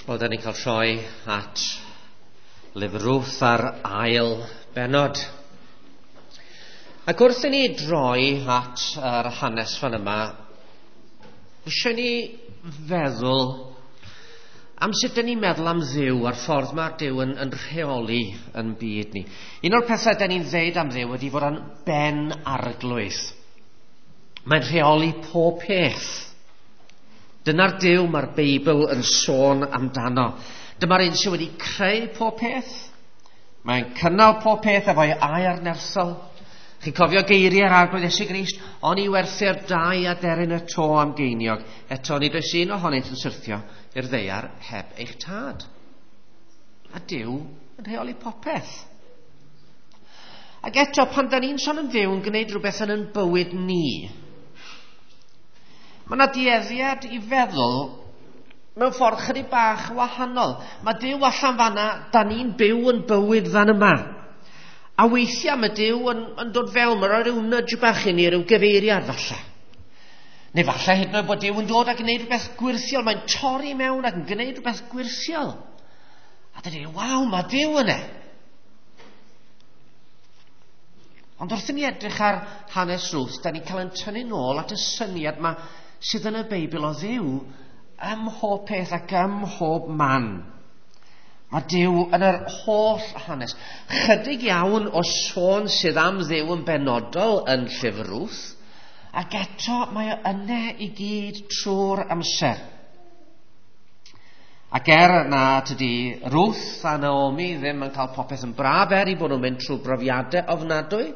Wel, da ni'n cael troi at lyfr Ruth a'r ail bennod. Ac wrth i ni droi at yr hanes fan yma, eisiau ni feddwl am sut dyn ni'n meddwl am Dduw a'r ffordd mae'r Duw yn rheoli yn byd ni. Un o'r pethau dyn ni'n ddeud am Dduw ydy fod o'n ben arglwydd. Mae'n rheoli pob peth. Dyna'r Duw mae'r Beibl yn sôn amdano. Dyma'r un sydd wedi creu pob peth. Mae'n cynnal pob peth efo'i air nerthol. Chi'n cofio geiriau'r Arglwydd Iesu Grist? Oni werthir dau aderyn y to am geiniog. Eto nid oes un ohonynt yn syrthio i'r ddaear heb eich tad. A Duw yn rheoli popeth. Ac eto, pan da ni'n sôn am Dduw yn gwneud rhywbeth yn ein bywyd ni, mae yna dueddiad i feddwl mewn ffordd chydig bach wahanol. Mae Duw allan fanna, da ni'n byw yn bywyd fan yma. A weithiau mae Duw yn dod fewn, mae'n rhoi rhyw nudge bach i ni, rhyw gyfeiriad falle. Neu falle hyd yn oed bod Duw yn dod ac yn gwneud rhywbeth gwyrthiol, mae'n torri mewn ac yn gwneud rhywbeth gwyrthiol. A dyn ni'n, waw, mae Duw yna. Ond wrth i ni edrych ar hanes Ruth, da ni'n cael ein tynnu nôl at y syniad yma sydd yn y Beibl o Dduw ym mhob peth ac ym mhob man. Mae Duw yn yr holl hanes. Chydig iawn o sôn sydd am Dduw yn benodol yn llyfr Ruth, ac eto mae o yna i gyd trwy'r amser. Ac er na tydi Ruth a Naomi ddim yn cael popeth yn braf er i bod nhw'n mynd trwy brofiadau ofnadwy,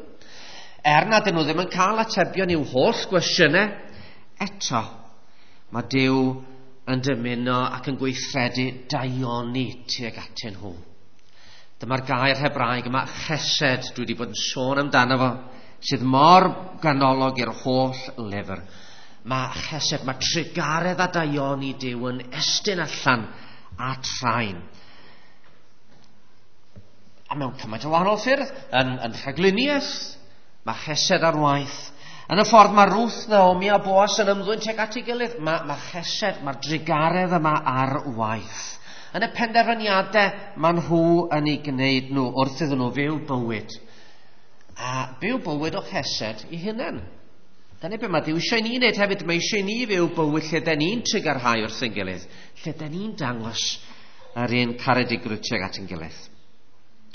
er na dyn nhw ddim yn cael atebion i'w holl gwestiynau, eto mae Duw yn dymuno ac yn gweithredu daioni tuag atyn nhw. Dyma'r gair Hebraeg yma, chesed, dwi wedi bod yn sôn amdano fo, sydd mor ganolog i'r holl lyfr. Mae chesed, mae trugaredd a daioni Duw yn estyn allan at rhain. A mewn cymaint o wahanol ffyrdd, yn rhagluniaeth, mae chesed ar waith. Yn y ffordd mae Ruth, Naomi a Boas yn ymddwyn tuag at ei gilydd, mae chesed, mae'r drugaredd yma ar waith. Yn y penderfyniadau maen nhw yn ei gwneud nhw wrth iddyn nhw fyw bywyd. A byw bywyd o chesed i hunain. Dyna beth mae Duw eisiau ni wneud hefyd. Mae eisiau ni fyw bywyd lle den ni'n trugarhau wrth ein gilydd, lle den ni'n dangos yr un caredigrwydd tuag at ein gilydd.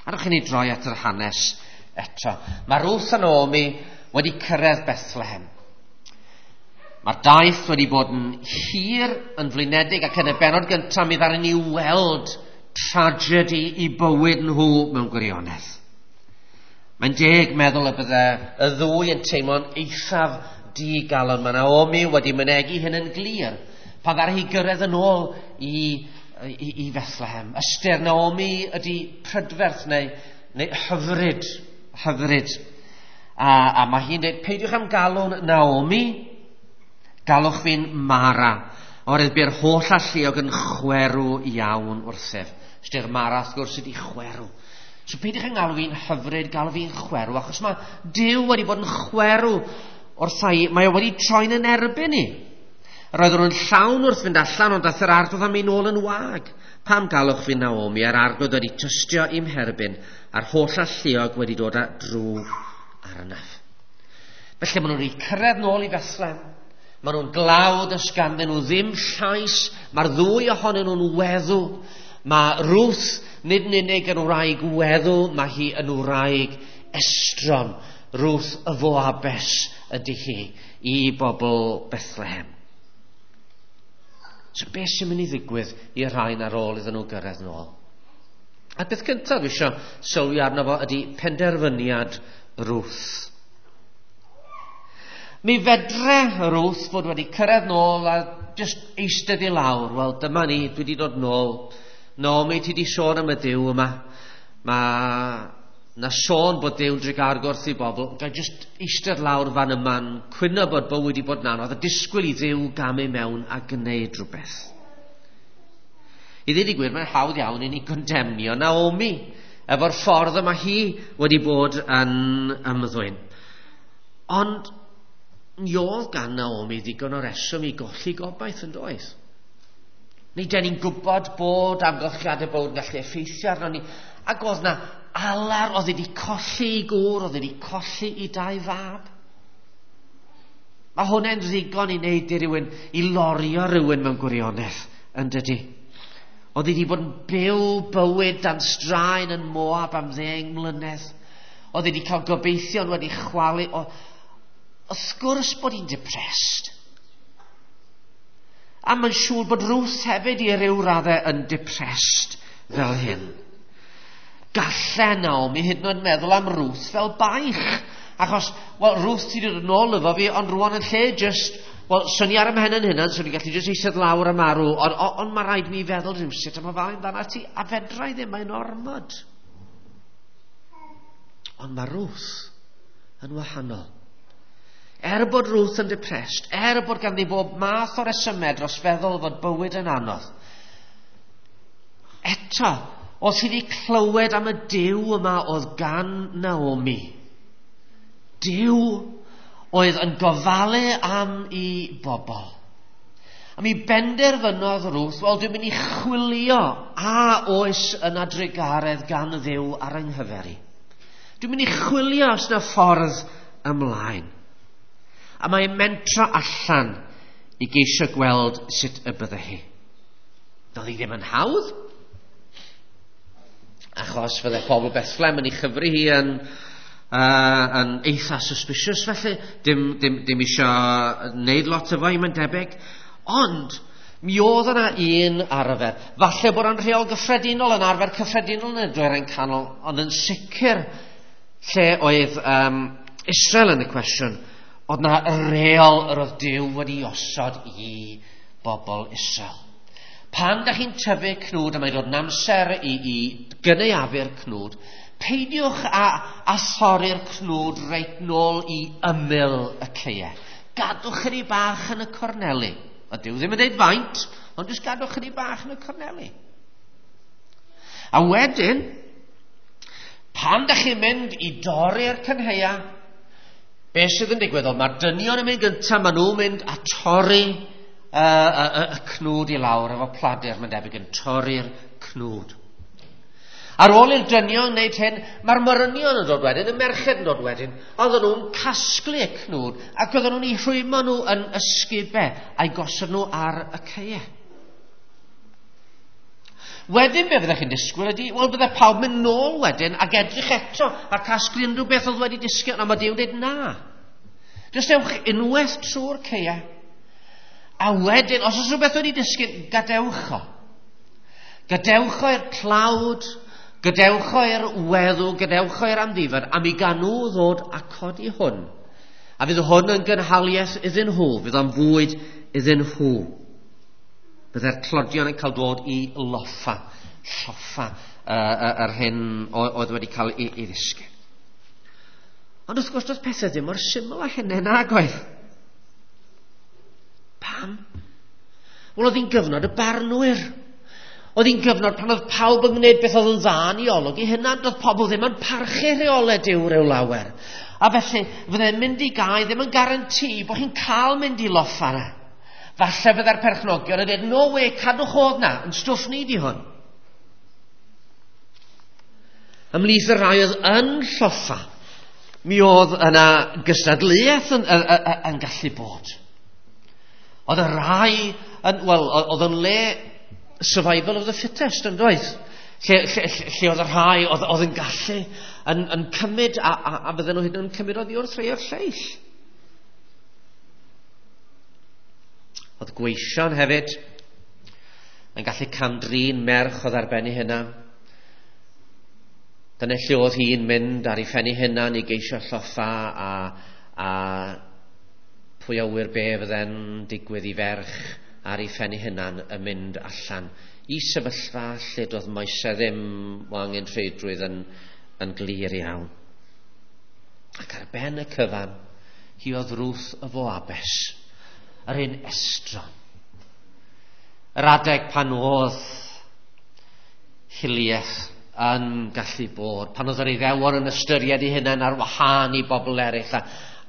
Arwch i ni droi at yr hanes eto. Mae Ruth a Naomi wedi cyrraedd Bethlehem. Mae'r daith wedi bod yn hir, yn flinedig, ac yn y bennod gyntaf mi ddaru ni weld tragedy i bywyd nhw mewn gwirionedd. Mae'n deg meddwl y bydde y ddwy yn teimlo'n eithaf digalon. Mae Naomi wedi mynegi hyn yn glir pan ddaru hi gyrraedd yn ôl i Bethlehem. Ystyr Naomi ydy prydferth neu hyfryd. A mae hi'n dweud, peidiwch am galw'n Naomi, galwch fi'n Mara. Oherwydd bu'r holl alluog yn chwerw iawn wrthyf. Ystyr Mara, wrth gwrs, ydy chwerw. So peidiwch yn galw fi'n hyfryd, galw fi'n chwerw, achos mae Duw wedi bod yn chwerw wrtha i. Mae o wedi troi'n yn erbyn i. Roedden nhw'n llawn wrth fynd allan, ond daeth yr arglwydd am ei nôl yn wag. Pam galwch fi Naomi, a'r arglwydd wedi tystio i'm herbyn, a'r holl alluog wedi dod â drwg arnaf. Felly maen nhw'n wedi cyrraedd nôl i Bethlehem. Maen nhw'n glawd os ganddyn nhw ddim llais. Mae'r ddwy ohonyn nhw'n weddw. Mae Ruth nid yn unig yn wraig weddw, mae hi yn wraig estron. Ruth y Foabes ydy hi i bobl Bethlehem. So beth sy'n mynd i ddigwydd i'r rhain ar ôl iddyn nhw gyrraedd nôl? A beth cyntaf dwi eisiau sylwi arno fo ydy penderfyniad Ruth. Mi fedre Ruth fod wedi cyrraedd nôl a just eistedd i lawr. Wel, dyma ni, dwi wedi dod nôl. Naomi, ti wedi sôn am y Duw yma. Mae na sôn bod Duw'n drugarog wrth i bobl. Ga i just eistedd lawr fan yma'n cwyno bod bywyd wedi bod yn anodd a disgwyl i Dduw gamu mewn a gwneud rhywbeth. I ddweud y gwir, mae'n hawdd iawn i ni gondemnio Naomi efo'r ffordd yma hi wedi bod yn ymddwyn. Ond mi oedd gan Naomi ddigon o reswm i golli gobaith yn doedd. Neu den ni'n gwybod bod amgylchiadau bywyd yn gallu effeithio arno ni. Ac oedd na alar, oedd wedi colli i gŵr, oedd wedi colli i dau fab. Mae hwnna'n ddigon i wneud i rywun, i lorio rhywun mewn gwirionedd, yn dydy. Oedd wedi bod yn byw bywyd dan straen yn Moab am 10 mlynedd. Oedd wedi cael gobeithion wedi chwalu. Wrth gwrs bod hi'n depressed. A mae'n siŵr bod Ruth hefyd i ryw raddau yn depressed fel hyn. Galle Naomi hyd yn oed meddwl am Ruth fel baich. Achos, wel, Ruth ti wedi dod nôl efo fi, ond rwan yn lle just, wel, swn i ar y mhen yn hynna, swn i'n gallu just eistedd lawr a marw, ond on, mae rhaid mi feddwl rhywsut am ofalu amdana ti, a fedra i ddim, mae'n ormod. Ond mae Ruth yn wahanol. Er bod Ruth yn depressed, er bod ganddi bob math o resymau dros feddwl fod bywyd yn anodd, eto, oedd hi wedi clywed am y Duw yma oedd gan Naomi. Duw oedd yn gofalu am i bobl. A mi benderfynodd Ruth, wel, dwi'n mynd i chwilio a oes yna drugaredd gan Dduw ar yng nghyfer i. Dwi'n mynd i chwilio os yna ffordd ymlaen. A mae'n mentro allan i geisio gweld sut y bydde hi. Doedd hi ddim yn hawdd, achos fydde pobl Bethlehem yn ei chyfri hi yn eitha suspicious felly, dim eisiau wneud lot efo hi, mae'n debyg. Ond, mi oedd yna un arfer. Falle bod o'n rheol gyffredinol, yn arfer cyffredinol yn y Dwyrain Canol, ond yn sicr lle oedd Israel yn y cwestiwn, oedd na reol yr oedd Duw wedi osod i bobl Israel. Pan da chi'n tyfu cnwd, a mae'n dod yn amser i gynaeafu'r cnwd, peidiwch a thorri'r cnwd reit nôl i ymyl y caeau. Gadwch chydig bach yn y corneli. A Duw ddim yn dweud faint, ond jyst gadwch chydig bach yn y corneli. A wedyn, pan da chi'n mynd i dorri'r cynhaea, beth sydd yn digwydd? Mae'r dynion yn mynd gyntaf, maen nhw'n mynd a torri y cnwd i lawr efo pladur, mae'n debyg yn torri'r cnwd. Ar ôl i'r dynion wneud hyn, mae'r morynion yn dod wedyn, y merched yn dod wedyn, oedden nhw'n casglu y cnwd ac oedden nhw'n eu rhwymo nhw yn ysgubau a'i gosod nhw ar y caeau. Wedyn be fyddech chi'n disgwyl ydy, wel bydde pawb mynd nôl wedyn ac edrych eto a casglu unrhyw beth oedd wedi disgyn, ond mae Duw'n dweud na. Jyst ewch unwaith trwy'r caeau. A wedyn, os oes rhywbeth wedi disgyn, gadewch o. Gadewch o i'r tlawd, gadewch o i'r weddw, gadewch o i'r amddifad, a mi gan nhw ddod a codi hwn. A fydd hwn yn gynhaliaeth iddyn nhw, fydd o'n fwyd iddyn nhw. Bydde'r tlodion yn cael dod i loffa, lloffa yr hyn oedd wedi cael ei ddisgyn. Ond wrth gwrs, doedd pethau ddim mor syml â hynny nag oedd. Pam? Wel, oedd hi'n gyfnod y barnwyr. Oedd hi'n gyfnod pan oedd pawb yn gwneud beth oedd yn dda yn ei olwg i hynna, doedd pobl ddim yn parchu rheolau Duw rhyw lawer. A felly, fydde'n mynd i gae ddim yn garanti bod chi'n cael mynd i loffa yna. Falle fydde'r perchnogion yn dweud, no way, cadwch oedd na, yn stwff ni di hwn. Ymhlith y rhai oedd yn lloffa, mi oedd yna gystadleuaeth yn gallu bod. Oedd y rhai, wel, oedd yn le survival of the fittest, yn doedd? Lle oedd y rhai oedd yn gallu yn cymryd, a fydden nhw hyd yn cymryd oddi wrth rhai o'r lleill. Oedd gweision hefyd yn gallu cam-drin merch oedd ar ben ei hunan. Dyna lle oedd hi'n mynd ar ei phen ei hunan i geisio lloffa a pwy a ŵyr be fydde'n digwydd i ferch ar ei phen ei hunan yn mynd allan i sefyllfa lle doedd moesau ddim o angenrheidrwydd yn glir iawn. Ac ar ben y cyfan, hi oedd Ruth y Foabes, yr un estron. Yr adeg pan oedd hiliaeth yn gallu bod, pan oedd yr Iddewon yn ystyried eu hunain ar wahân i bobl eraill,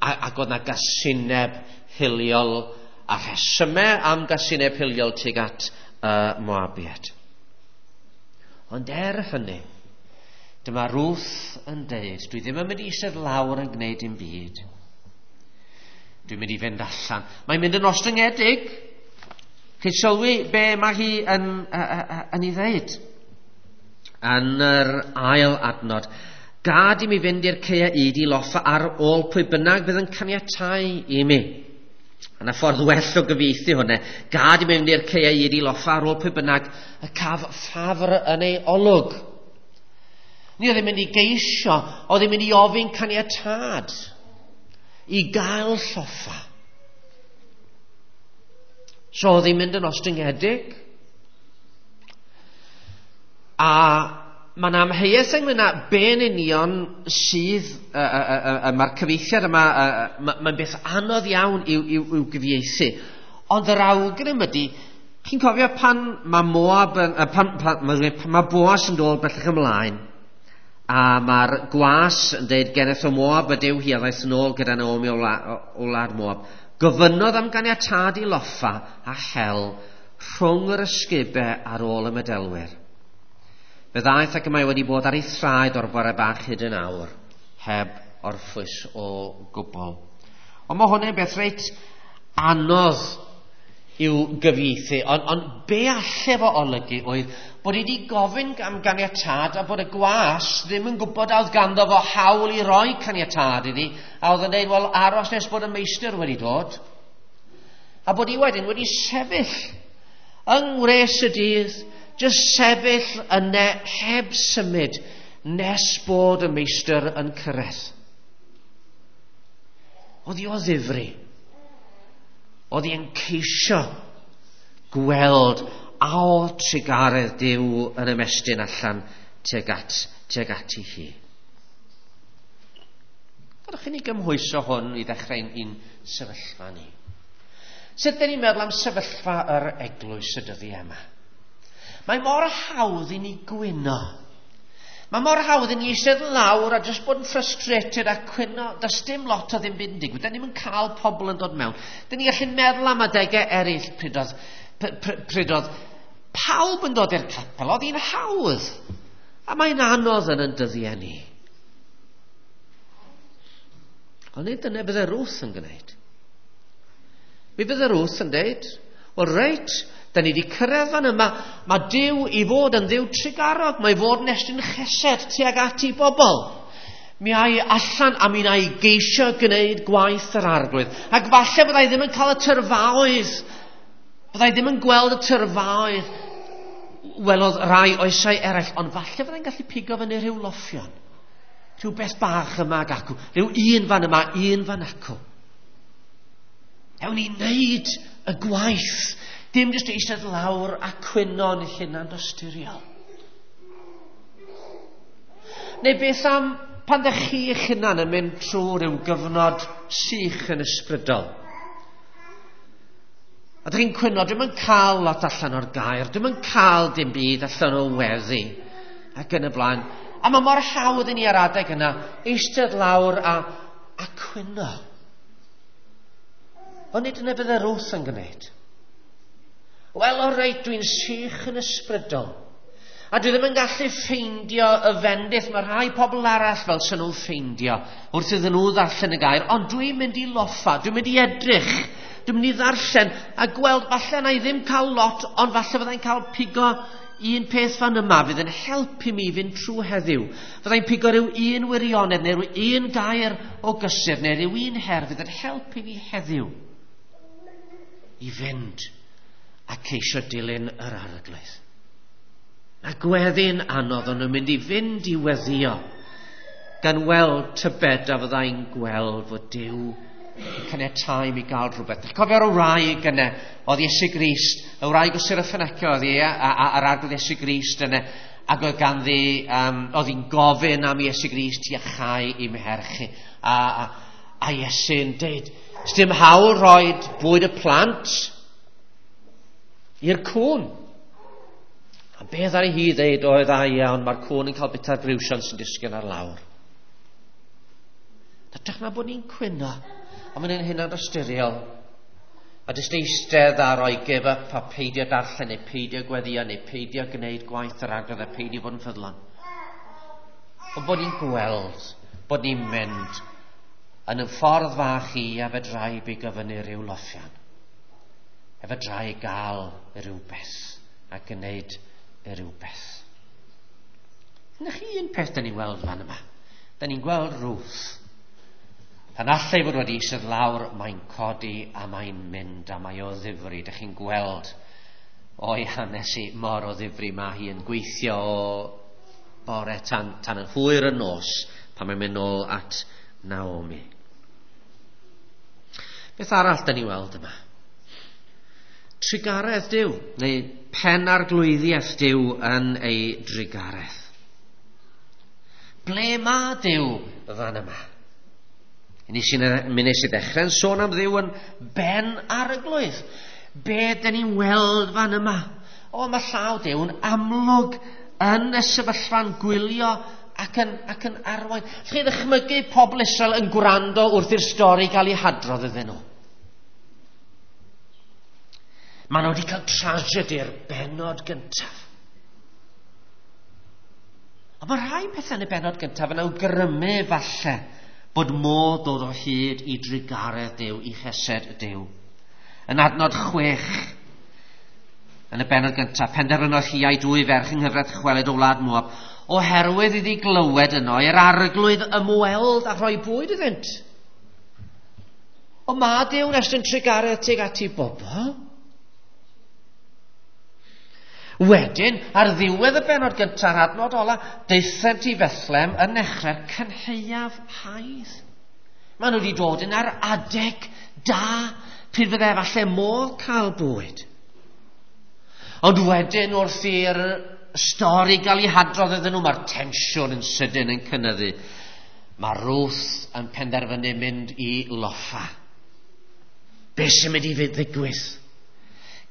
ac oedd na gasineb hiliol a rhesymau am gasineb hiliol tuag at y Moabiad. Ond er hynny, dyma Ruth yn deud, dwi ddim yn mynd i eistedd lawr yn gwneud dim byd. Dwi'n mynd i fynd allan. Mae'n mynd yn ostyngedig. Chi'n sylwi be mae hi yn ei ddeud? Yn yr ail adnod. Gad i mi fynd i'r ceia yd i loffa ar ôl pwy bynnag fydd yn caniatau i mi. Yna ffordd well o gyfieithu hwnna. Gad i mi fynd i'r ceia yd i loffa ar ôl pwy bynnag y caf ffafr yn ei olwg. Ni oedd yn mynd i geisio, oedd yn mynd i ofyn caniatâd i gael lloffa. So oedd hi'n mynd yn ostyngedig. A mae'n amheuaeth ynglyn â be'n union sydd, mae'r cyfieithiad yma, mae'n beth anodd iawn i'w gyfieithu. Ond yr awgrym ydy, chi'n cofio pan mae Moab, pan mae Boas yn dod bellach ymlaen, a mae'r gwas yn dweud geneth o Moab ydyw hi a ddaeth yn ôl gyda Naomi o wlad Moab. Gofynnodd am ganiatâd i loffa a hel rhwng yr ysgubau ar ôl y medelwyr. Fe ddaeth ac y mae wedi bod ar ei thraed o'r bore bach hyd yn awr, heb orffwys o gwbl. Ond mae hwnna'n beth reit anodd i'w gyfieithu, ond be alle fo olygu oedd bod hi wedi gofyn am ganiatâd a bod y gwas ddim yn gwybod a oedd ganddo fo hawl i roi caniatâd iddi, a oedd yn dweud, wel, aros nes bod y meistr wedi dod. A bod hi wedyn wedi sefyll yng ngwres y dydd, jyst sefyll yna heb symud nes bod y meistr yn cyrraedd. Oedd hi o ddifri. Oedd hi'n ceisio gweld a oedd trugaredd Duw yn ymestyn allan tuag ati hi. Gadewch i ni gymhwyso hwn i ddechrau ein sefyllfa ni. Sut dyn ni'n meddwl am sefyllfa yr eglwys y dyddiau yma? Mae mor hawdd i ni gwyno. Mae mor hawdd i ni eistedd lawr a jyst bod yn frustrated a cwyno. Does dim lot o ddim byd yn digwydd. Dyn ni'm yn cael pobl yn dod mewn. Dyn ni gallu meddwl am adegau eraill pryd oedd pawb yn dod i'r capel. Oedd hi'n hawdd. A mae'n anodd yn dyddiau ni. Ond nid dyna bydde Ruth yn gwneud. Mi bydde Ruth yn dweud, wel reit, da ni wedi cyrraedd fan yma, mae Duw i fod yn Dduw trugarog, mae i fod yn estyn chesed tuag at i bobl. Mi ai allan a mi wna i geisio gwneud gwaith yr Arglwydd. Ac falle byddai ddim yn cael y tyrfaoedd, byddai ddim yn gweld y tyrfaoedd, welodd rai oesau eraill, ond falle byddai'n gallu pigo fyny rhyw loffion, rhyw beth bach yma ac acw, rhyw un fan yma, un fan acw. Ewn ni wneud y gwaith. Dim jyst eistedd lawr a cwyno yn hunan dosturiol. Neu beth am pan ddech chi eich hunan yn mynd trwy rhyw gyfnod sych yn ysbrydol? A dych chi'n cwyno, dwi'm yn cael lot allan o'r gair, dwi'm yn cael dim byd allan o weddi, ac yn y blaen. A mae mor hawdd i ni ar adeg yna eistedd lawr a cwyno. Ond nid yna bydde Ruth yn gwneud. Wel, o reit, dwi'n sych yn ysbrydol. A dwi ddim yn gallu ffeindio y fendith. Mae rhai pobl arall fel sy'n nhw'n ffeindio wrth iddyn nhw ddarllen y gair. Ond dwi'n mynd i loffa, dwi'n mynd i edrych, dwi'n mynd i ddarllen a gweld falle na i ddim cael lot, ond falle fyddai'n cael pigo un peth fan yma fydd yn helpu mi fynd trwy heddiw. Fyddai'n pigo rhyw un wirionedd neu rhyw un gair o gysur neu rhyw un her fydd yn helpu fi heddiw i fynd a ceisio dilyn yr Arglwydd. Mae gweddi'n anodd, ond nhw'n mynd i fynd i weddio, gan weld tybed a fyddai'n gweld fod Duw yn caniatáu i mi gael rhywbeth. Chi'n cofio'r wraig yna, oedd Iesu Grist, y wraig o Syrophoenicia oedd hi, a'r Arglwydd Iesu Grist yna, ac oedd ganddi, oedd hi'n gofyn am Iesu Grist i iachau i merch. A Iesu'n deud, sdim hawl roed bwyd y plant i'r cwn. A beth ar ei hi ddeud oedd a iawn, mae'r cwn yn cael bita'r briwsion sy'n disgyn ar lawr. Hytrach na bod ni'n cwyno, a mae'n ein hunan ystyriol. A jyst eistedd a roi give up a peidio darllen neu peidio gweddio neu peidio gwneud gwaith yr Arglwydd a peidio bod yn ffyddlon. Ond bod ni'n gweld bod ni'n mynd yn y ffordd fach i a fedrai bigo fyny rhyw loffian. A fedrai gael rhywbeth a gwneud rhywbeth. Na chi un peth da ni'n weld fan yma. Da ni'n gweld Ruth. Pan allai fod wedi eistedd lawr, mae'n codi a mae'n mynd a mae o ddifri. Dych chi'n gweld o'i hanes i mor o ddifri mae hi yn gweithio o bore tan, tan yn hwyr y nos pan mae'n mynd nôl at Naomi. Beth arall da ni weld yma? Trugaredd Duw, neu pen arglwyddiaeth Duw yn ei drugaredd. Ble mae Duw fan yma? Mi nes i ddechrau'n sôn am Dduw yn ben arglwydd. Be dyn ni'n weld fan yma? O, mae llaw Duw yn amlwg yn y sefyllfa'n gwylio ac yn, ac yn arwain. Chi ddychmygu pobl Israel yn gwrando wrth i'r stori gael ei hadrodd iddyn nhw. Maen nhw wedi cael tragedi'r benod gyntaf. Ond mae rhai pethau yn y benod gyntaf yn awgrymu falle bod modd dod o hyd i drugaredd Duw, i chesed Duw. Yn adnod 6, yn y benod gyntaf, penderfynodd hi a'i dwy ferch yng nghyfraith chweled o wlad Moab, oherwydd iddi glywed yno i'r arglwydd ymweld a rhoi bwyd iddynt. O mae Duw'n estyn trugaredd tuag at ei bobl. Wedyn, ar ddiwedd y benod gyntaf, adnod ola, daethant i Bethlem yn nechrau'r cynhaeaf haidd. Maen nhw wedi dod yn ar adeg da, pryd fydde falle modd cael bwyd. Ond wedyn wrth i'r stori gael ei hadrodd iddyn nhw, mae'r tensiwn yn sydyn yn cynyddu. Mae Ruth yn penderfynu mynd i loffa. Be sy'n mynd i ddigwydd?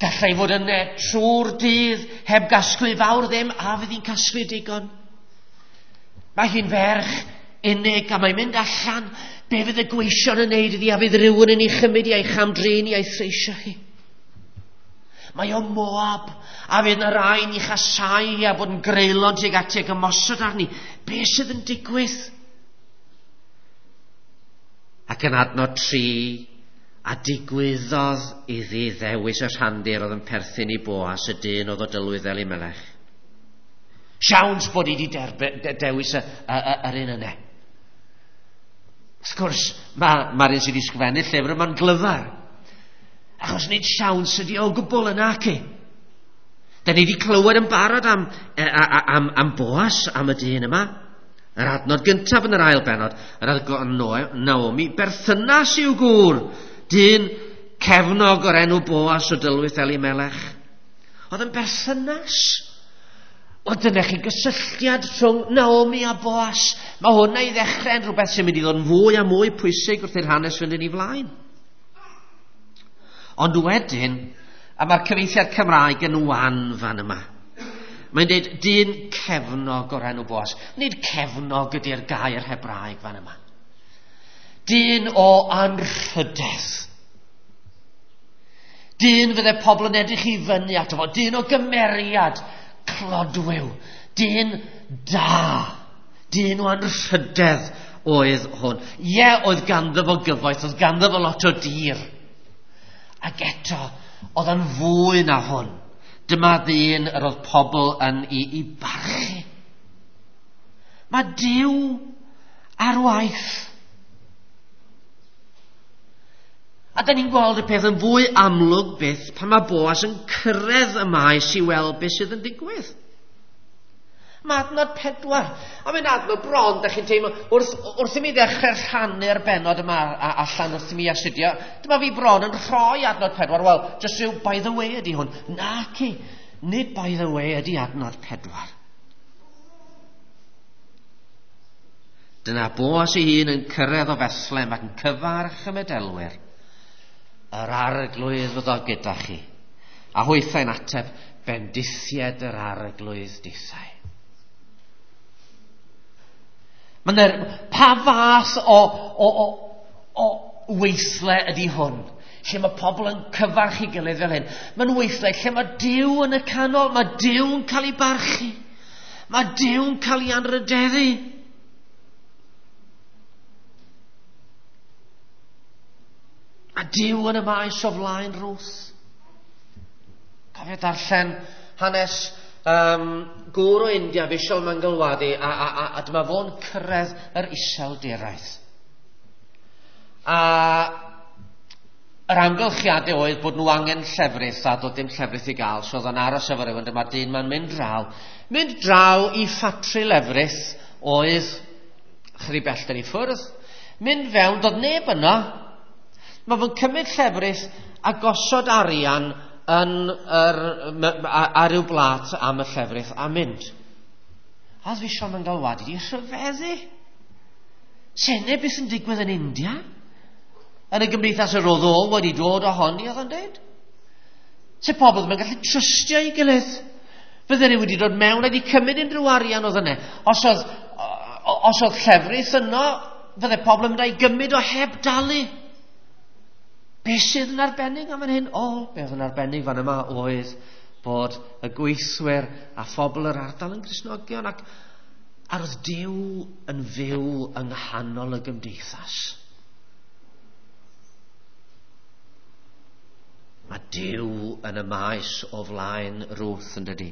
Gallai fod yna trwy'r dydd heb gasglu fawr ddim, a fydd hi'n casglu digon. Mae hi'n ferch unig a mae'n mynd allan. Be fydd y gweision yn neud iddi a fydd rhywun yn ei chymryd i a'i chamdrin i a'i threisio hi? Mae o Moab a fydd yna rai'n ei chasau hi a bod yn greulon tuag ati ac ymosod arni. Be sydd yn digwydd? Ac yn adnod 3, a digwyddodd iddi ddewis y rhandir oedd yn perthyn i Boas, y dyn oedd o dylwydd Elimelech. Siawns bod hi wedi dewis yr un yna. Wrth gwrs, mae'r ma un sydd wedi sgrifennu llyfr yma'n glyfar. Achos nid siawns ydi o gwbl yna ac. Da ni wedi clywed yn barod am, am, am Boas, am y dyn yma. Yr adnod gyntaf yn yr ail benod, yr adnod Naomi, berthynas i'w gŵr, dyn cefnog o'r enw Boas o dylwyth Elimelech. Oedd yn berthynas. O dyna chi gysylltiad rhwng Naomi a Boas. Mae hwnna i ddechrau yn rhywbeth sy'n mynd i ddod yn fwy a mwy pwysig wrth i'r hanes fynd yn ei flaen. Ond wedyn, a mae'r cyfieithiad Cymraeg yn wan fan yma. Mae'n dweud dyn cefnog o'r enw Boas. Nid cefnog ydy'r gair Hebraeg fan yma. Dyn o anrhydedd. Dyn fydde pobl yn edrych i fyny ato fo. Dyn o gymeriad clodwiw. Dyn da. Dyn o anrhydedd oedd hwn. Ie, oedd ganddo fo gyfoeth, oedd ganddo fo lot o dir. Ac eto, oedd yn fwy na hwn. Dyma ddyn yr oedd pobl yn ei, ei barchu. Mae Duw ar waith. A da ni'n gweld y peth yn fwy amlwg byth pan mae Boas yn cyrraedd y maes i weld beth sydd yn digwydd. Mae adnod 4. A mae'n adnod bron, da chi'n teimlo, wrth, wrth i mi ddechrau rhannu'r benod yma allan wrth i mi astudio, dyma fi bron yn rhoi adnod 4. Wel, just rhyw by the way ydy hwn. Naci, nid by the way ydy adnod 4. Dyna Boas ei hun yn cyrraedd o Fethlem ac yn cyfarch y medelwyr. Yr arglwydd fyddo gyda chi. A hwythau'n ateb, bendithied yr arglwydd dithau. Mae'n pa fath o, o, o, o weithle ydy hwn? lle mae pobl yn cyfarch i gilydd fel hyn. Mae'n weithle lle mae Duw yn y canol, mae Duw'n cael ei barchu. Mae Duw'n cael ei anrhydeddu. A Duw yn y maes o flaen Ruth. Cofio darllen hanes gŵr o India, Vishal Mangalwadi, a dyma fo'n cyrraedd yr iseldiraidd. A yr amgylchiadau oedd bod nhw angen llefrith a doedd dim llefrith i gael, so oedd o'n aros efo rhywun, dyma'r dyn ma'n mynd draw. Mynd draw i ffatri lefrith oedd chydig bellter i ffwrdd. Mynd fewn, doedd neb yno. Mae fo'n cymryd llefrith a gosod arian yn ar ryw blat am y llefrith a mynd. A oedd Vishal Mangalwadi wedi rhyfeddu. Sene beth sy'n digwydd yn India? Yn y gymdeithas yr oedd o wedi dod ohoni, oedd o'n dweud. Se pobl ddim yn gallu trystio ei gilydd. Fydden nhw wedi dod mewn a wedi cymryd unrhyw arian oedd yna. Os oedd llefrith yno, fydde pobl yn mynd â'i gymryd o heb dalu. Be sydd yn arbennig am hyn? O, be oedd yn arbennig fan yma oedd bod y gweithwyr a phobl yr ardal yn Gristnogion ac oedd Duw yn fyw yng nghanol y gymdeithas. Mae Duw yn y maes o flaen Ruth yn dydi.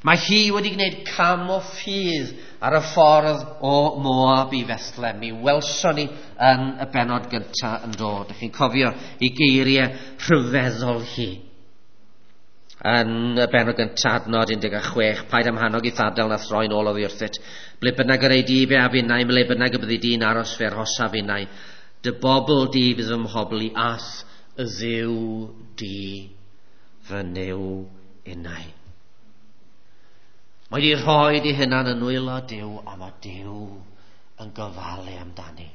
Mae hi wedi gwneud cam o ffydd ar y ffordd o Moab i Bethlehem. Mi welson ni yn y bennod gyntaf yn dod. Dych chi'n cofio i geiriau rhyfeddol hi. Yn y bennod gyntaf, adnod 16, paid am hannog i thadel na throi'n ôl oddi wrthyt. Ble bynnag yr ei di fe a finnau, ble bynnag y byddi di'n aros fe arhosa finnau. Dy bobl di fydd fy mhobl i ath y ddiw di fy Nuw innau. Mae wedi rhoi di hunan yn nwylo Duw, a mae Duw yn gofalu amdani.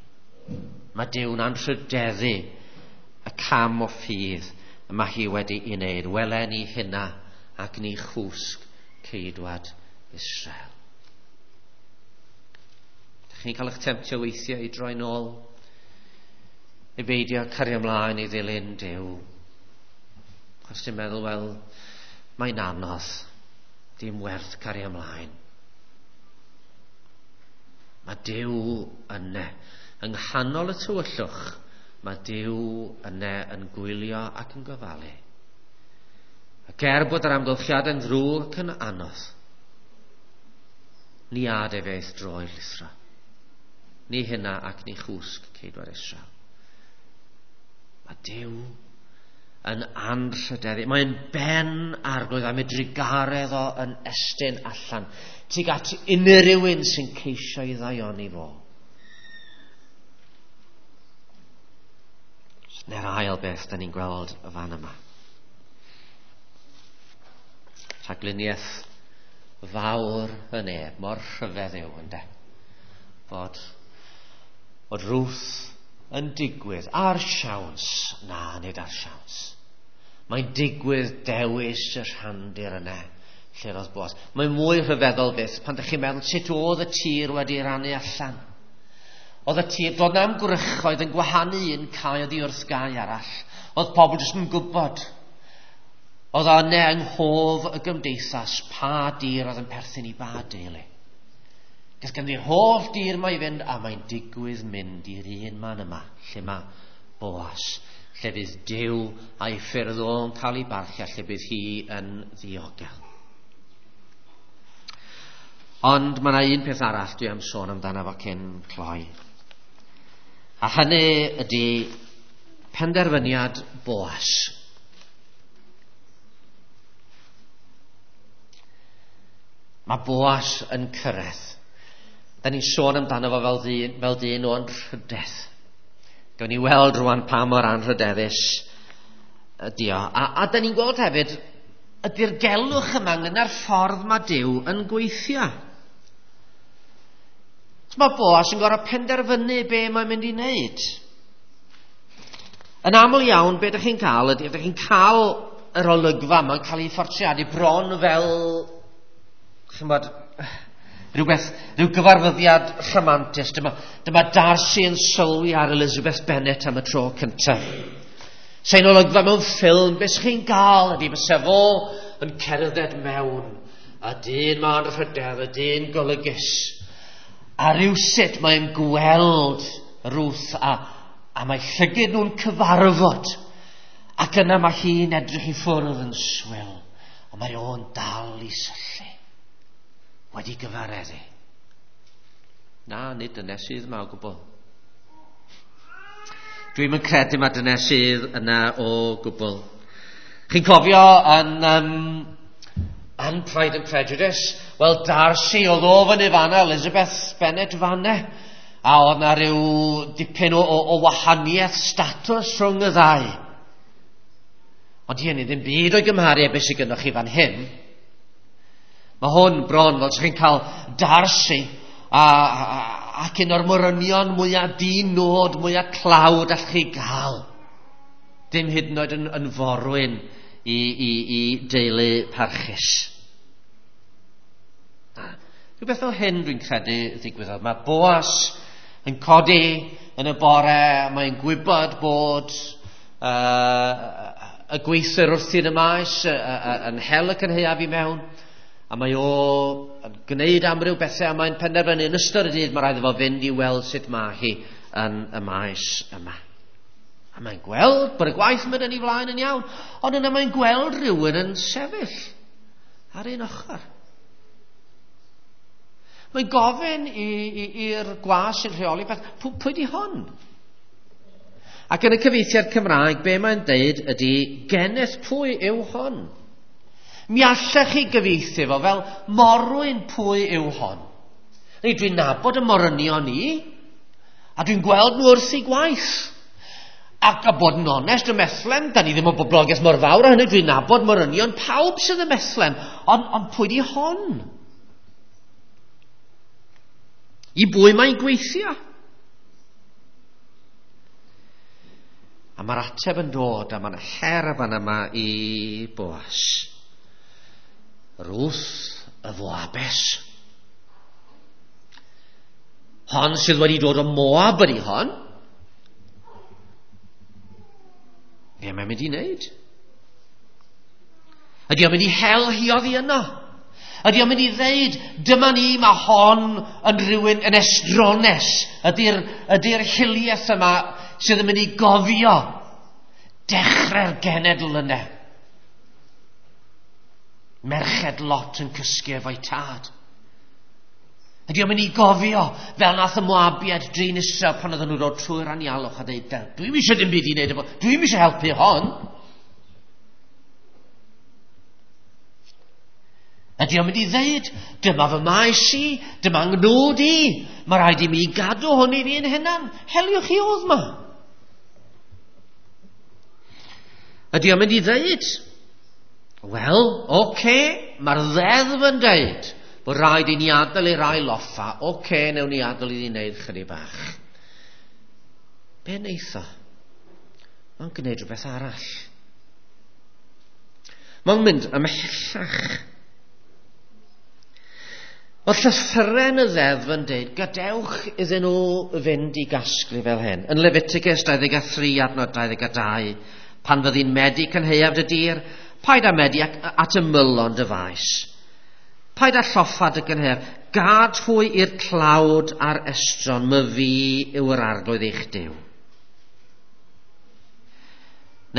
Mae Duw'n anrhydeddu y cam o ffydd y mae hi wedi ei wneud. Wele ni hynna ac ni chwsg ceidwad Israel. Dych chi'n cael eich temtio weithiau i droi nôl, i beidio cario ymlaen i ddilyn Duw. Chos ti'n meddwl, wel, mae'n anodd. Dim werth cario ymlaen. Mae Duw yna. Yng nghanol y tywyllwch, mae Duw yna yn gwylio ac yn gofalu. Ac er bod yr amgylchiadau'n ddrwg ac yn anodd, ni ad efe eith droi'r lithra. Ni hynna ac ni chwsg ceidwad Israel. Mae Duw yn anrhydeddu. Mae'n ben arglwydd am ei drugaredd o yn estyn allan tuag at unrhyw un sy'n ceisio ei ddaioni fo. Neu'r ail beth da ni'n gweld y fan yma. Rhagluniaeth fawr y neb, mor rhyfedd yw ynde. Fod Ruth yn digwydd ar siawns. Na, nid ar siawns. Mae'n digwydd dewis y rhandir yna lle roedd Boaz. Mae'n mwy rhyfeddol byth pan ydych chi'n meddwl sut oedd y tir wedi rannu allan. Oedd y tir, doedd na'm gwrychoedd yn gwahanu un cae oddi wrth gae arall. Oedd pobl jyst yn gwybod. Oedd o yna yng nghof y gymdeithas pa dir oedd yn perthyn i ba deulu. Ges ganddi'r holl dir mae i fynd, a mae'n digwydd mynd i'r un man yma, lle mae Boaz, lle fydd Duw a'i ffyrdd o'n cael ei barchu, a lle bydd hi yn ddiogel. Ond mae yna un peth arall dwi am sôn amdano fo cyn cloi. A hynny ydy penderfyniad Boaz. Mae Boaz yn cyrraedd. Da ni'n sôn amdano fo fel dyn o anrhydedd. Gawn ni weld rwan pa mor anrhydeddus ydy o. A da ni'n gweld hefyd y dirgelwch yma ynglŷn â'r ffordd mae Duw yn gweithio. Mae Boaz yn gorfod penderfynu be mae'n mynd i wneud. Yn aml iawn, be ydych chi'n cael ydy, ydych chi'n cael yr olygfa yma'n cael ei phortreadu bron fel, chi'n bod, Rhywbeth, rhyw gyfarfyddiad rhamantus. Dyma Darcy yn sylwi ar Elizabeth Bennet am y tro cyntaf. Sa'n olygfa mewn ffilm, beth chi'n gael ydy fysa fo yn cerdded mewn, a dyn ma'n rhydedd, y dyn golygus. A rhywsut mae'n gweld Ruth a mae llygyd nhw'n cyfarfod. Ac yna mae hi'n edrych i ffwrdd yn swil, ond mae o'n dal i syllu. Wedi gyfareddu. Na, nid dyna sydd yma o gwbl. Dwi'm yn credu mae dyna sydd yna o gwbl. Chi'n cofio yn Pride and Prejudice? Wel, Darcy oedd o fyny fanna, Elizabeth Bennet fanna. A oedd na rhyw dipyn o wahaniaeth statws rhwng y ddau. Ond hynny ddim byd o'i gymharu â beth sydd gynnwch chi fan hyn. Mae hwn bron fel chi'n cael Darcy ac un o'r morynion mwyaf di-nod, mwyaf tlawd allwch chi gael. Dim hyd yn oed yn forwyn i deulu parchus. Rhywbeth fel hyn dwi'n credu ddigwyddodd. Mae Boas yn codi yn y bore, mae'n gwybod bod y gweithwyr wrthi'n y maes yn hel y cynhaeaf i mewn, a mae o yn gwneud amryw bethau, a mae'n penderfynu yn ystod y dydd mae rhaid iddo fo fynd i weld sut mae hi yn y maes yma. A mae'n gweld bod y gwaith yn mynd yn ei flaen yn iawn, ond yna mae'n gweld rhywun yn sefyll ar un ochr. Mae'n gofyn i'r gwas sy'n rheoli beth, pwy di hon? Ac yn y cyfieithiad Cymraeg, be mae'n deud ydy, geneth pwy yw hon? Mi allech chi gyfieithu fo fel morwyn pwy yw hon. Neu dwi'n nabod y morynion i, a dwi'n gweld nhw wrth eu gwaith. Ac a bod yn onest, y Methlen, da ni ddim o boblogaeth mor fawr a hynny, dwi'n nabod morynion pawb sydd y Methlen, ond pwy di hon? I bwy mae'n gweithio? A mae'r ateb yn dod, a mae'n her fan yma i Boas. Ruth y Foabes. Hon sydd wedi dod o Moab ydi hon. Be mae'n mynd i wneud? Ydy o'n mynd i hel hi oddi yno? Ydy o'n mynd i ddeud, dyma ni, mae hon yn rhywun yn estrones. Ydy'r hiliaeth yma sydd yn mynd i gofio dechrau'r genedl yna. Merched Lot yn cysgu efo'i tad. Ydy o'n mynd i gofio fel nath y Moabiaid drin Israel pan oedden nhw'n dod trwy'r anialwch a dweud, dwi'm eisiau dim byd i wneud efo, dwi'm eisiau helpu hon. Ydy o'n mynd i ddeud, dyma fy maes i, dyma ngnwd i, mae rhaid i mi gadw hwn i fi'n hunan, heliwch chi oedd ma. Ydy o'n mynd i ddeud, wel, oce, mae'r ddeddf yn deud bod rhaid i ni adael i rai loffa, oce, newn ni adael i ni wneud chydig bach. Be wneith o? Mae'n gwneud rhywbeth arall. Mae'n mynd ymhellach. Oedd llythyren y ddeddf yn deud, gadewch iddyn nhw fynd i gasglu fel hyn. Yn Leviticus 23 adnod 22, pan fyddi'n medi cynhaeaf dy dir, paid â medi at ymylon dy faes. Paid â lloffa dy gynhaeaf, gad hwy i'r tlawd a'r estron, my fi yw yr arglwydd eich Duw.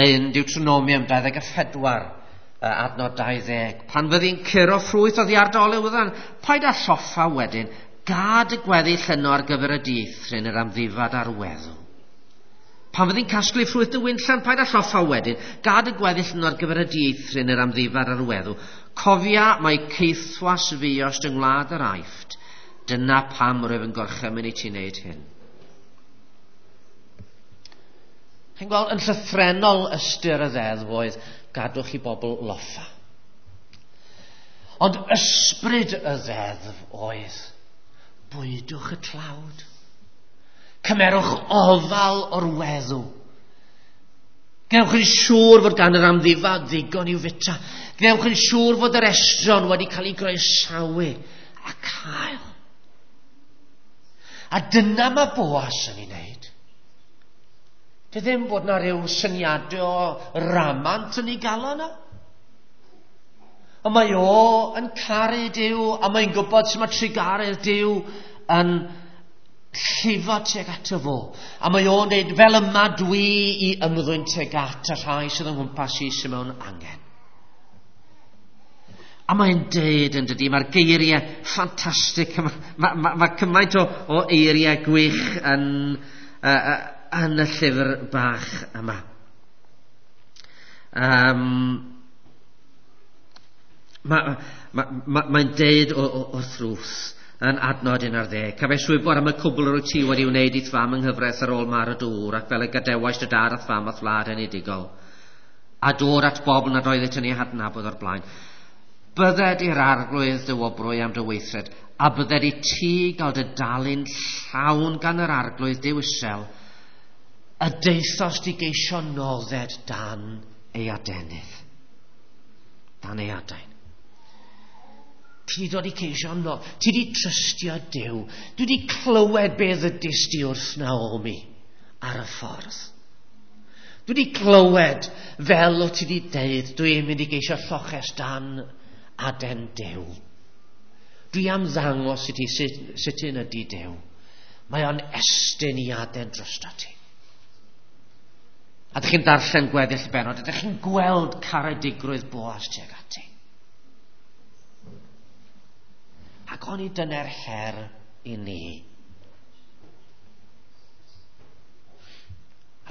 Neu yn Deuteronomium 24, adnod 20. Pan fyddi'n curo ffrwyth oddi ar dy olewyddan, paid â lloffa wedyn, gad y gweddill yno ar gyfer y dieithryn yr amddifad a'r weddw. Pan fyddi'n casglu ffrwyth dy winllan, paid â lloffa wedyn, gad y gweddill yno ar gyfer y dieithryn yr amddifad a'r weddw. Cofia mae caethwas fuost yng ngwlad yr Aifft. Dyna pam rwyf yn gorchymyn i ti wneud hyn. Chi'n gweld, yn llythrennol ystyr y ddeddf oedd gadwch i bobl loffa. Ond ysbryd y ddeddf oedd bwydwch y tlawd. Cymerwch ofal o'r weddw. Gwnewch yn siŵr fod gan yr amddifad ddigon i'w fita. Gwnewch yn siŵr fod yr estron wedi cael ei groesawu a cael. A dyna mae Boas yn ei wneud. Dy ddim bod na rhyw syniadau o ramant yn ei galon o. Ond mae o yn caru Duw, a mae'n gwybod sut mae trugaredd Duw yn llifo tuag ato fo. A mae o'n dweud, fel yma dwi i ymddwyn tuag at y rhai sydd yng nghwmpas i sydd mewn angen. A mae'n deud yn dydy, mae'r geiriau ffantastig, mae cymaint o eiriau gwych yn y llyfr bach yma. Mae'n deud wrth Ruth yn adnod 11. Cafais wybod am y cwbl yr wyt ti wedi wneud i'th fam yng nghyfraith ar ôl marw dy ŵr, ac fel y gadewais dy dad a'th fam a'th wlad enedigol, a dod at bobl nad oeddet yn eu hadnabod o'r blaen. Bydded i'r Arglwydd dy wobrwy am dy weithred, a bydded i ti gael dy dalu'n llawn gan yr Arglwydd Duw Israel, y daethost i geisio nodded dan ei adenydd. Dan ei adain. Ti wedi dod i ceisio no. Ti wedi trystio Duw. Dwi wedi clywed beth ddudist di wrth Naomi ar y ffordd. Dwi wedi clywed fel o ti wedi deud, dwi'n mynd i geisio lloches dan aden Duw. Dwi am ddangos i ti sut un ydi Duw. Mae o'n estyn i aden drosto ti. A ydych chi'n darllen gweddill y bennod, ydych chi'n gweld caredigrwydd Boas tuag ati. Ac oni dyna'r her i ni.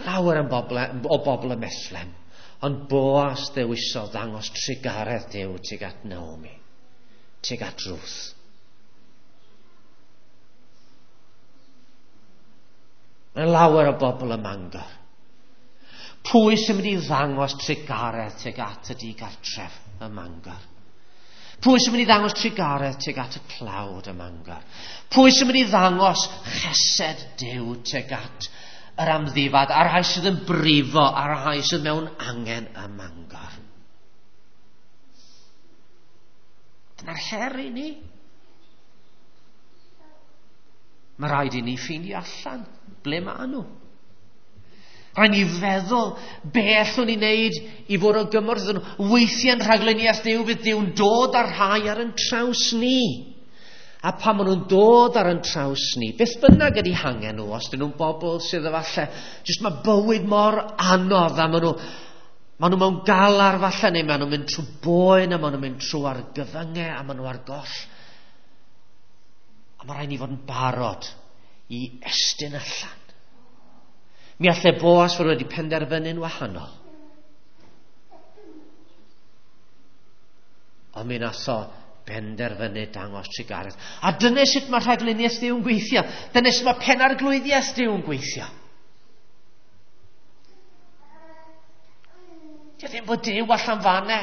Lawer yn o bobl y Bethlem, ond Boas ddewisodd ddangos trugaredd Duw tuag at Naomi, tuag at Ruth. Mae lawer o bobl ym Mangor. Pwy sy'n mynd i ddangos trugaredd tuag at y digartref ym Mangor? Pwy sy'n mynd i ddangos trugaredd tuag at y tlawd ym Mangor? Pwy sy'n mynd i ddangos chesed Duw tuag at yr amddifad, a'r rhai sydd yn brifo, a'r rhai sydd mewn angen ym Mangor? Dyna'r her i ni. Mae rhaid i ni ffeindio allan ble maen nhw. Rhaid ni feddwl be allwn ni wneud i fod o gymorth iddyn nhw. Weithiau'n rhagluniaeth Duw fydd Duw'n dod â'r rhai ar yn traws ni. A pan maen nhw'n dod ar yn traws ni, beth bynnag ydy hangen nhw, os dyn nhw'n bobl sydd efallai, jyst mae bywyd mor anodd a maen nhw mewn galar falle, neu maen nhw'n mynd trwy boen, a maen nhw'n mynd trwy argyfyngau, a maen nhw ar goll. A mae rhaid ni fod yn barod i estyn allan. Mi allai Boas fod wedi penderfynu'n wahanol. Ond mi nath o benderfynu dangos trugaredd. A dyna sut mae rhagluniaeth Duw yn gweithio. Dyna sut mae penarglwyddiaeth Duw yn gweithio. Dio ddim bod Duw allan fanne.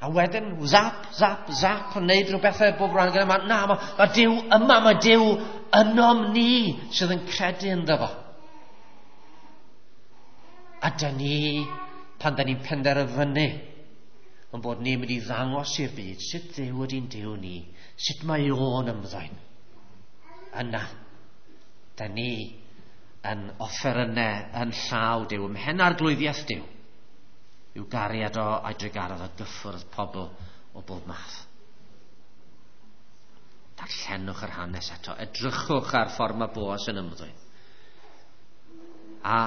A wedyn, zap, zap, zap, yn neud rhywbeth bob rhan gyda. Na, mae Duw yma, mae Duw ynom ni sydd yn credu ynddo fo. A dyn ni, pan dyn ni'n penderfynu, yn bod ni'n mynd i ddangos i'r byd sut Dduw ydy'n Duw ni, sut mae o'n ymddwyn. Yna, dyn ni yn offerynnau yn llaw Duw, ym mhen arglwyddiaeth Duw, i'w gariad o a'i drugaredd o gyffwrdd pobl o bob math. Darllenwch yr hanes eto, edrychwch ar ffordd mae Boas yn ymddwyn. A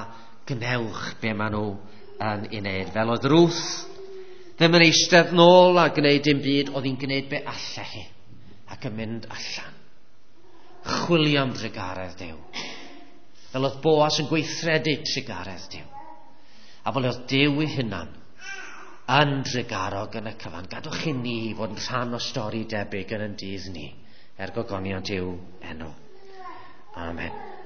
gnewch be maen nhw yn ei wneud. Fel oedd Ruth ddim yn eistedd nôl a gwneud dim byd, oedd hi'n gwneud be allai hi ac yn mynd allan. Chwilio am drugaredd Duw. Fel oedd Boas yn gweithredu trugaredd Duw. A fel oedd Duw ei hunan yn drugarog yn y cyfan. Gadwch i ni fod yn rhan o stori debyg yn ein dydd ni, er gogoniant i'w enw. Amen.